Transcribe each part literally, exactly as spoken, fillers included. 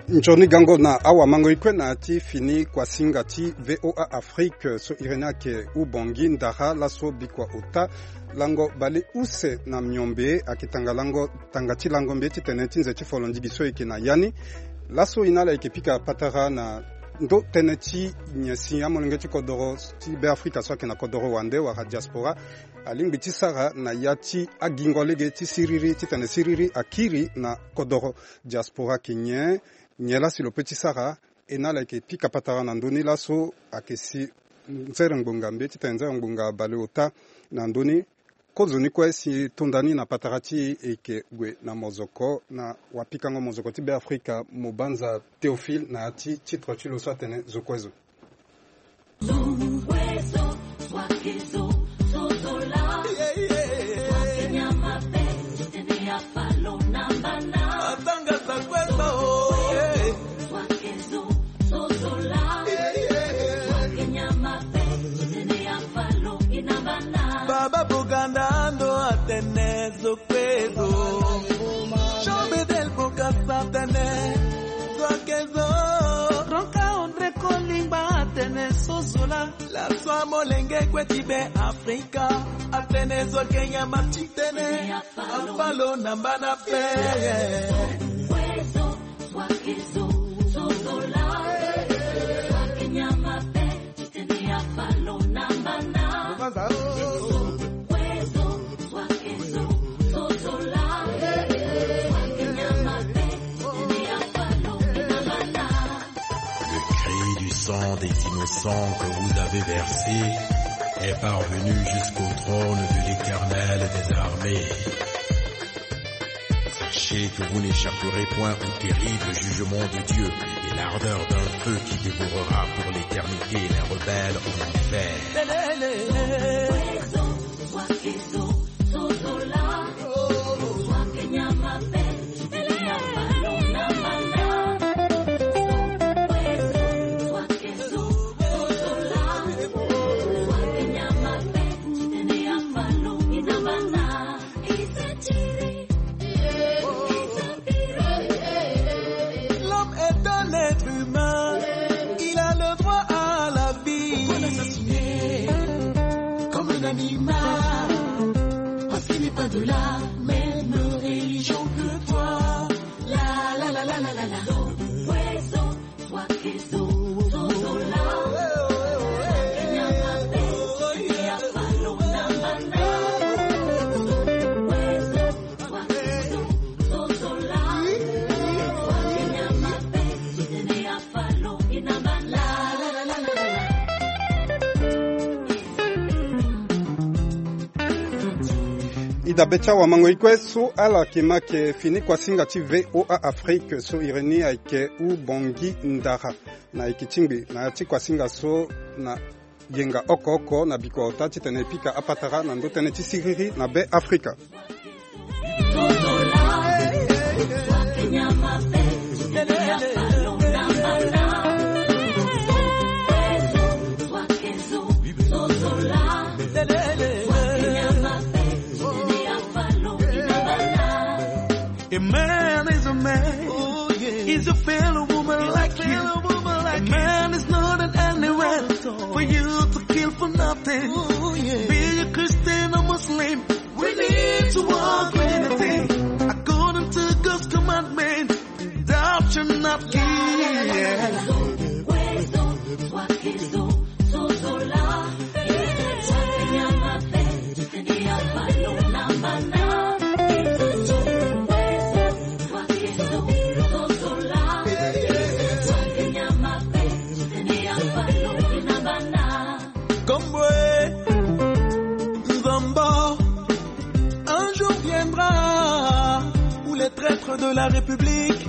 Nzoni gango na awamango-ni kue na ya ti fini kuasinga ti V O A Afrique so iri ni ayeke Ubongi Ndara, laso bikua ota lango bale use na miombe ayeke tanga lango, tanga ti lango mbe titene ti nze ti folondigi so e yeke na ya ni. Laso e na ala e yeke pika patara na ndo tënë ti nyen si amolenge ti kodoro ti Beafrika so ayeke na kodoro wande wala diaspora alingbi ti sara na ya ti agingo lege ti siriri titene siriri akiri na kodoro. Diaspora ayeke nyen? Nyen laa si lo pe ti sara? E na ala e yeke pika patara na ndö ni laso ayeke si nzere ngbonga mbe titene nzere ngbonga baleota na ndö ni. Kozo ni kue si to nda ni na patara ti e e yeke gue na mozoko na wapikango mozoko ti Beafrika, Mobanza Théophile, na ya ti titre ti lo so atene Zo kue zo. Baba Boganda ndo atene zo kue zo. Jean Bedel Bokassa atene zo ake zo. Ronka André Kolingba atene sosola. Laso amolenge kue ti Beafrika atene zo ake nyama ti tene afalo na mbana pe. Le cri du sang des innocents que vous avez versé est parvenu jusqu'au trône de l'Éternel des armées. Sachez que vous n'échapperez point au terrible jugement de Dieu et l'ardeur d'un feu qui dévorera pour l'éternité les rebelles en enfer. L'homme est un être humain, il a le droit à la vie. Pourquoi ne s'assumer comme un animal? Parce qu'il n'est pas de la même religion que toi. La, la, la, la, la, la, la. I dabe ti awamango-ni kue so ala yeke ma yeke fini kuasinga ti V O A Afrique so iri ni ayeke Ubongi Ndara. Na yeke tingbi na ya ti kuasinga so na yenga oko oko na bikua ota titene e pika apatara na ndo tënë ti siriri na Beafrika. A man is a man. Oh, yeah. Is a fellow woman like you. A man is not an animal for you to kill for nothing. Oh, yeah. Be a Christian or Muslim, we need to walk with the thing. According to God's commandment, thou shalt not kill. Kombwe, Nzombo, un jour viendra où les traîtres de la République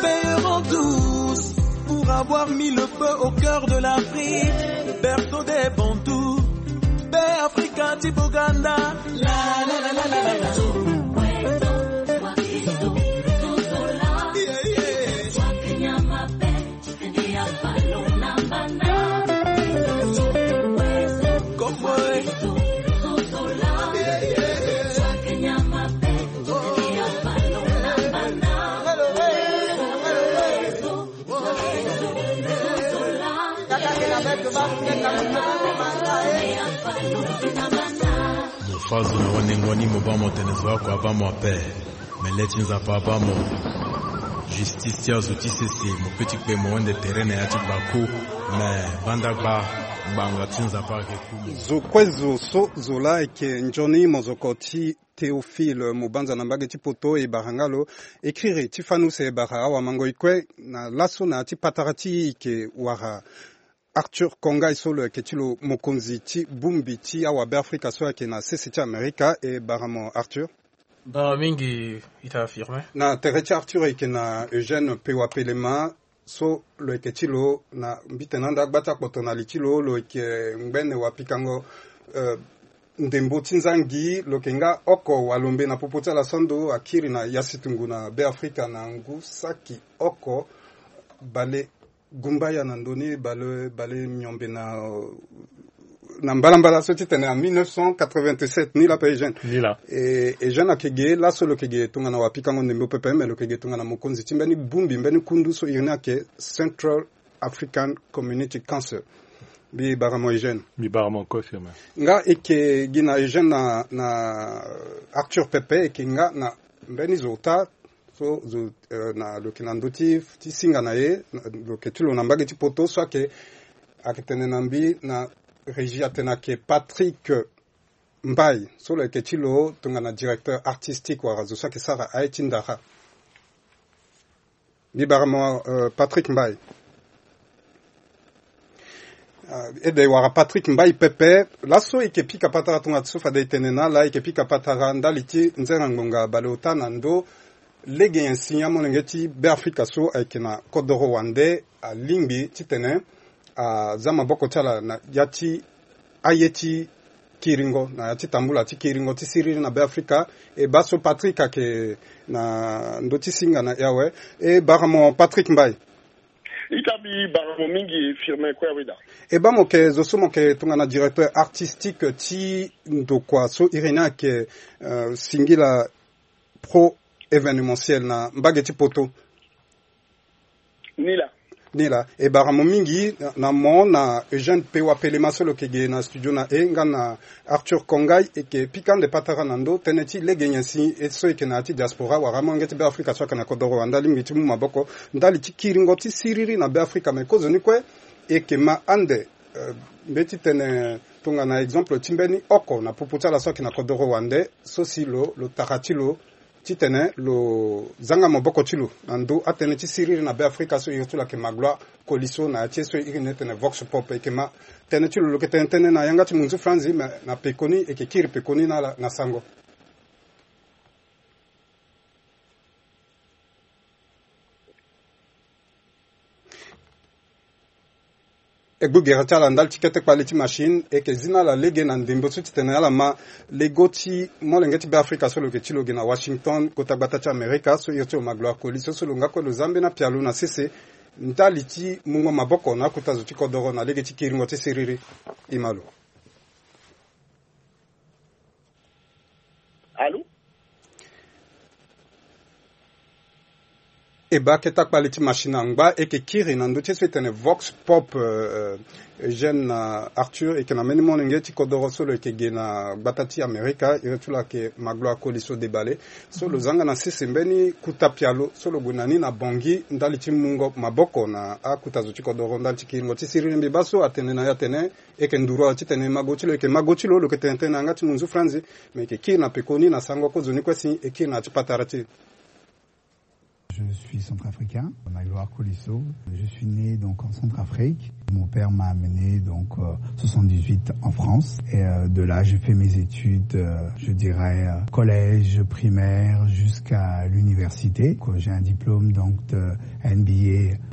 paieront tous pour avoir mis le feu au cœur de l'Afrique, berceau des Bantous, Beafrika ti Boganda. La, la, la, la, la, la. Mo fâ zo na wanengo ni, mo bâ mo tene zo oko abâ mo ape. Me le ti Nzapa abâ mo. Justice ti azo ti sese, mo pe ti kpe mo wende tere na ya ti gbaku. Me banda gba, ngbanga ti Nzapa ayeke ku mo. Zo kue zo so zo laa ayeke nzoni mozoko ti Théophile Mobanza na mbage ti poto, e bara nga lo e kiri ti fâ ni use, e bara awamangoi kue na laso na ya ti patara ti e, e yeke wara Arthur Kongai so lo yeke ti lo mokonzi ti bongbi ti awabeafrika so ayeke na sese ti Amerika. E bara mo Arthur. Bara mingi ita Firmin. Na tere ti Arthur e yeke na Eugène Pewa Pelema so lo yeke ti lo na mbitene ande agba ti akpoto na li ti lo, lo yeke ngbene wapikango, eh, ndembo ti nzangi, lo yeke nga oko walombe na popo ti ala so ando akiri na yasitungu na Beafrika na ngu saki oko bale gumbaya na ndö ni, bale, bale miombe na, na mbalambala so ti tene en mille neuf cent quatre-vingt-sept, ni laa pe Eugène. Ni laa. E, Eugène ayeke ge laso lo yeke ge tongana wapikango ndembo pepe, me lo yeke ge tongana mokonzi ti mbeni bongbi, mbeni kundu so iri ni ayeke Central African Community Council. Mbi bara mo Eugène. Mbi bara mo kue Firmin. Nga e yeke gi na Eugène na, na Arthur pepe, e yeke nga na mbeni zo ota so zo, eh, na lo yeke na ndö ti, ti singa na e, na, lo yeke ti lo na mbage ti poto so ayeke, ayeke tene na mbi na régie atene ayeke Patrick Mbaye so lo yeke ti lo tongana directeur artistique wala zo so ayeke sara aye ti ndara. Mbi bara mo, eh, Patrick Mbaye. Ah, ede wara Patrick Mbaye pepe. Laso e yeke pika patara tongana so fade e tene na ala, e yeke pika patara ndali ti nzere ngbonga baleota na ndö lege nyen si amolenge ti Beafrika so ayeke na kodoro wande alingbi titene aza maboko ti ala na ya ti aye ti kiringo, na ya ti tambula ti kiringo ti siriri na Beafrika. E baa so Patrick ayeke na ndö ti singa na e awe. E bara mo Patrick Mbaye. Ita mbi bara mo mingi Firmin kue aweda. E baa mo yeke zo so mo yeke tongana directeur artistique ti ndokua so iri ni ayeke, euh, Singila Pro Événementiel na mbage ti poto. Ni laa. Ni laa. E bara mo mingi na, na mo na Eugène Pewa Pelema so lo yeke ge na studio na e, nga na Arthur Kongai, e yeke pika ande patara na ndö tënë ti lege nyen si e so e yeke na ya ti diaspora wala amolenge ti Beafrika so ayeke na kodoro wande alingbi ti mu maboko ndali ti kiringo ti siriri na Beafrika. Me kozoni kue e yeke ma ande, eh, mbeti tene tongana exemple ti mbeni oko na popo ti ala so ayeke na kodoro wande so si lo, lo tara ti lo titene lo zanga maboko ti lo na ndö atënë ti siriri na Beafrika so iri ti lo ayeke Magloire Colisseau na ya ti e so iri ni e tene Vox Pop. E yeke ma tënë ti lo, lo yeke tene tënë na yanga ti munzu franzi, me na pekoni e yeke kiri pekoni na ala na sango. E gbu gere ti ala ndali ti kete kpale ti machine, e yeke zi na ala lege na ndembo so titene ala ma lego ti molenge ti Beafrika so lo yeke ti lo ge na Washington, kota gbata ti Amerika, so iri ti lo Magloire Colisseau, so lo nga kue lo za mbeni apialo na sese ndali ti mungo maboko na akota zo ti kodoro na lege ti kiringo ti siriri. E ma lo. Allô? E baa kete akpale ti machine angba, e yeke kiri na ndö ti e so e tene Vox Pop, euh, Eugène na Arthur, e yeke na mbeni molenge ti kodoro so lo yeke ge na gbata ti Amerika, iri ti lo ayeke Magloire Colisseau Debale. So lo zanga na sese mbeni kota pialo so lo gue na ni na Bangui ndali ti mungo maboko na akota zo ti kodoro ndali ti kiringo ti siriri. Mbi baa so atene na e atene e yeke nduru ala titene mago ti lo, e yeke mago ti lo, lo yeke tene tënë na yanga ti munzu franzi, me e yeke kiri na pekoni na sango kozoni kue si e kiri na ya ti patara ti e. Je suis centrafricain, Magloire Colisseau. Je suis né donc en Centrafrique. Mon père m'a amené donc, euh, soixante-dix-huit en France. Et, euh, de là, j'ai fait mes études, euh, je dirais, euh, collège, primaire, jusqu'à l'université. Donc, j'ai un diplôme donc de M B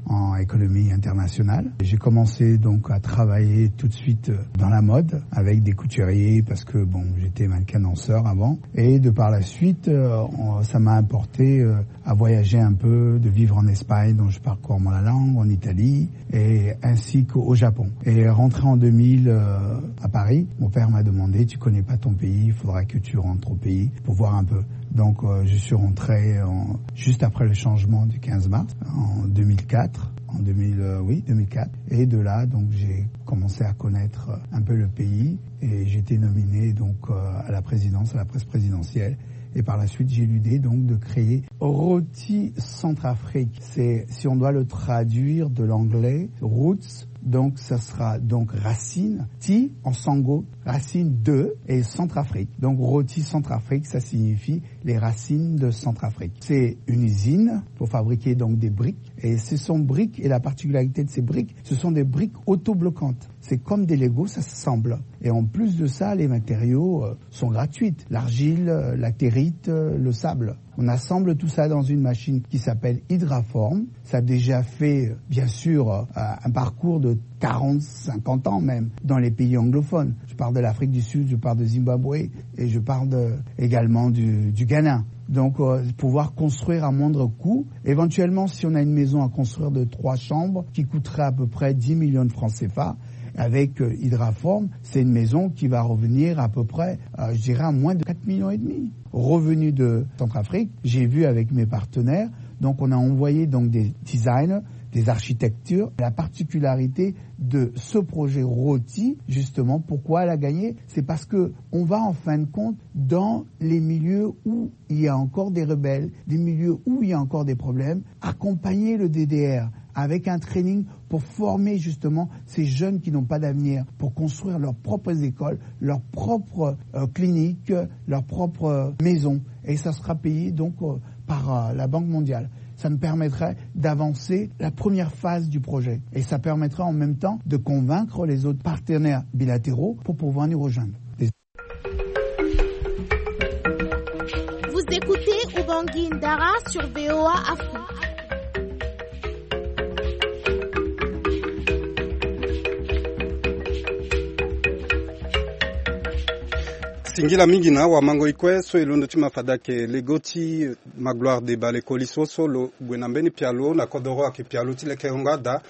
A en économie internationale. J'ai commencé donc à travailler tout de suite, euh, dans la mode avec des couturiers parce que, bon, j'étais mannequin danseur avant. Et de par la suite, euh, on- ça m'a apporté, euh, à voyager un peu, de vivre en Espagne, dont je parle couramment la langue, en Italie, et ainsi qu'au Japon. Et rentré en deux mille, euh, à Paris, mon père m'a demandé : « Tu connais pas ton pays, il faudra que tu rentres au pays pour voir un peu. » Donc, euh, je suis rentré en- juste après le changement du quinze mars, en deux mille quatre. en deux mille, euh, oui, deux mille quatre. Et de là, donc, j'ai commencé à connaître, euh, un peu le pays et j'étais nominé donc, euh, à la présidence, à la presse présidentielle. Et par la suite, j'ai eu l'idée donc de créer Roti Centrafrique. C'est, si on doit le traduire de l'anglais, roots, donc ça sera donc racine, ti en sango, racine de et Centrafrique. Donc Roti Centrafrique, ça signifie les racines de Centrafrique. C'est une usine pour fabriquer donc des briques. Et ce sont briques, et la particularité de ces briques, ce sont des briques autobloquantes. C'est comme des Lego, ça s'assemble. Et en plus de ça, les matériaux, euh, sont gratuits. L'argile, euh, la territe, euh, le sable. On assemble tout ça dans une machine qui s'appelle Hydraform. Ça a déjà fait, euh, bien sûr, euh, un parcours de quarante, cinquante ans même dans les pays anglophones. Je parle de l'Afrique du Sud, je parle de Zimbabwe et je parle de, également du, du Ghana. Donc, euh, pouvoir construire à moindre coût. Éventuellement, si on a une maison à construire de trois chambres qui coûterait à peu près dix millions de francs C F A, avec, euh, Hydraform, c'est une maison qui va revenir à peu près, euh, je dirais, à moins de quatre millions et demi. Revenus de Centrafrique, j'ai vu avec mes partenaires, donc on a envoyé donc des designs, des architectures. La particularité de ce projet Roti, justement, pourquoi elle a gagné, c'est parce que on va en fin de compte dans les milieux où il y a encore des rebelles, des milieux où il y a encore des problèmes, accompagner le D D R avec un training pour former justement ces jeunes qui n'ont pas d'avenir, pour construire leurs propres écoles, leurs propres, euh, cliniques, leurs propres, euh, maisons. Et ça sera payé donc, euh, par, euh, la Banque mondiale. Ça me permettrait d'avancer la première phase du projet. Et ça permettrait en même temps de convaincre les autres partenaires bilatéraux pour pouvoir nous rejoindre. Vous écoutez Ubangui Ndara sur V O A Afrique. Singila mingi na awa mango ikue so e londo ti ma fade ayeke lego ti Magloire Deba, le koli so so lo gue na mbeni pialo na kodoro ayeke pialo ti lekerengo ada.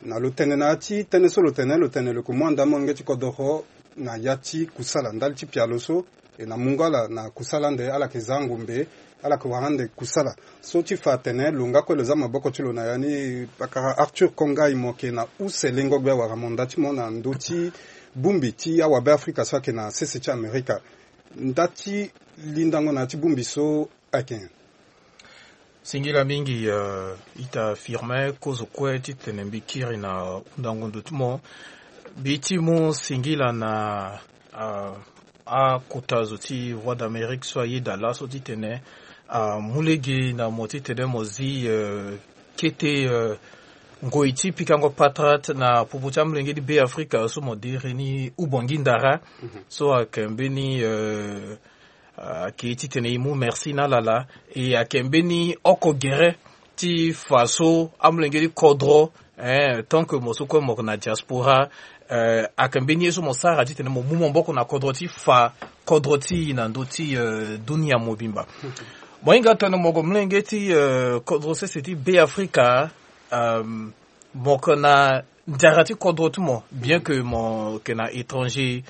Na lo tene na ya ti tënë so lo tene, lo tene lo yeke mu anda molenge ti kodoro na ya ti kusala ndali ti pialo so. E na mungo ala na kusala ande ala yeke za ngombe, ala yeke wara ande kusala. So ti fa atene lo nga kue lo za maboko ti lo na ya ni pakara Arthur Kongai, mo yeke na use lengo gbia wala mo nda ti mo na ndö ti bongbi ti awabe Afrika so ayeke na sese ti Amerika. Nda ti lindango na ya ti bongbi so ayeke nyen? Singila mingi, euh, ita Firmin, kozo kue titene mbi kiri na hundango ndo ti mo. Mbi ti mu singila na, euh, akota zo ti Voix d'Amérique so ayeda laso titene, euh, amu lege na mo titene mo zi, euh, kete, euh, ngoi ti pikango patara na popo ti amolenge ti Be Afrika so mo diri ni Ubangui Ndara. Mhm. So ayeke mbeni, euh, Ah, ayeke titene e mu merci na ala. E ayeke mbeni oko gere ti fa so amolenge ti kodro, eh, tant que mo so kue mo yeke na diaspora, eh, ayeke mbeni ye so mo sara titene mo mu maboko na kodro ti fa kodro ti e na ndö ti, eh, dunia mobimba. Mo hinga tene mo gue molenge ti, eh, kodro sese ti Be Afrika, um, mo yeke na nzara ti kodro ti mo, bien que mo yeke na étranger,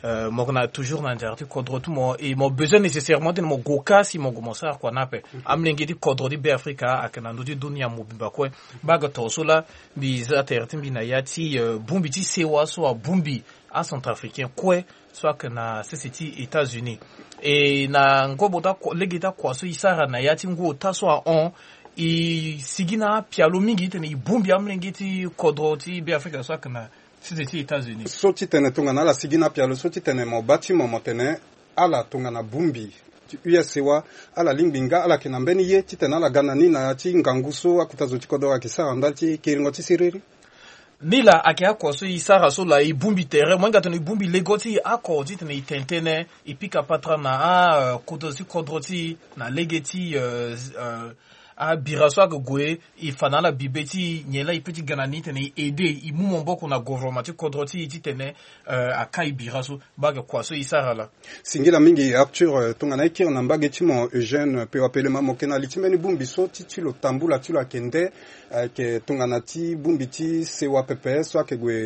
euh, mo yeke na toujours na nzara ti kodro ti mo, et mo besoin nécessairement titene mo gue ka si mo gue mo sara kua ni ape. Amolenge ti kodro ti Be Afrika ayeke na ndö ti dunia mobimba kue. Baa ge tongaso laa mbi za tere ti mbi na ya ti, euh, bongbi ti sewa so abongbi acentrafricain kue so ayeke na sese ti États-Unis. E na ngobo ti akua, lege ti akua so e sara na ya ti ngu ota so ahon, e sigi na apialo mingi titene e bongbi amolenge ti kodro ti Be Afrika so ayeke na sese ti États-Unis. So titene tongana ala sigi na apialo so titene mo baa ti mo mo tene ala tongana bongbi ti U S sewa, ala lingbi nga ala yeke na mbeni ye titene ala ga na ni na ya ti ngangu so akota zo ti kodro ayeke sara ndali ti kiringo ti siriri. Ni laa ayeke akua so e sara so laa e bongbi tere, mo hinga tene e bongbi lego ti e oko titene e tene tënë, e pika patara na a, euh, kodro ti kodro ti e na lege ti, euh, euh, abira so ayeke gue, e fa na ala bibe ti e nyen laa e peut ti ga na ni titene e aider, e mu maboko na gouvernement ti kodro ti e titene, euh, akai bira so. Mbage kua so e sara laa. Singila mingi Arthur, eh, tongana e kiri na mbage ti mo Eugène Pewa Pelema, mo yeke na li ti mbeni bongbi so ti, ti lo tambula ti lo ayeke nde, eh, ayeke tongana ti bongbi ti sewa pepe so ayeke gue